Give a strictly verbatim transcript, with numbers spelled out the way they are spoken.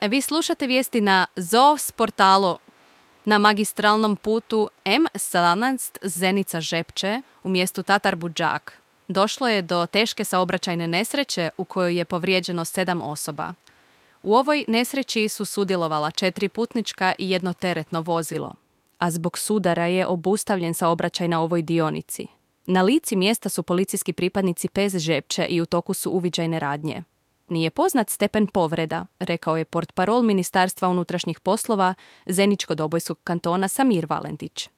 Vi slušate vijesti na Zos portalu. Na magistralnom putu M sedamnaest Zenica-Žepče u mjestu Tatar Budžak došlo je do teške saobraćajne nesreće u kojoj je povrijeđeno sedam osoba. U ovoj nesreći su sudjelovala četiri putnička i jedno teretno vozilo, a zbog sudara je obustavljen saobraćaj na ovoj dionici. Na lici mjesta su policijski pripadnici P E Z Žepče i u toku su uviđajne radnje. Nije poznat stepen povreda, rekao je portparol Ministarstva unutrašnjih poslova Zeničko-Dobojskog kantona Samir Valentić.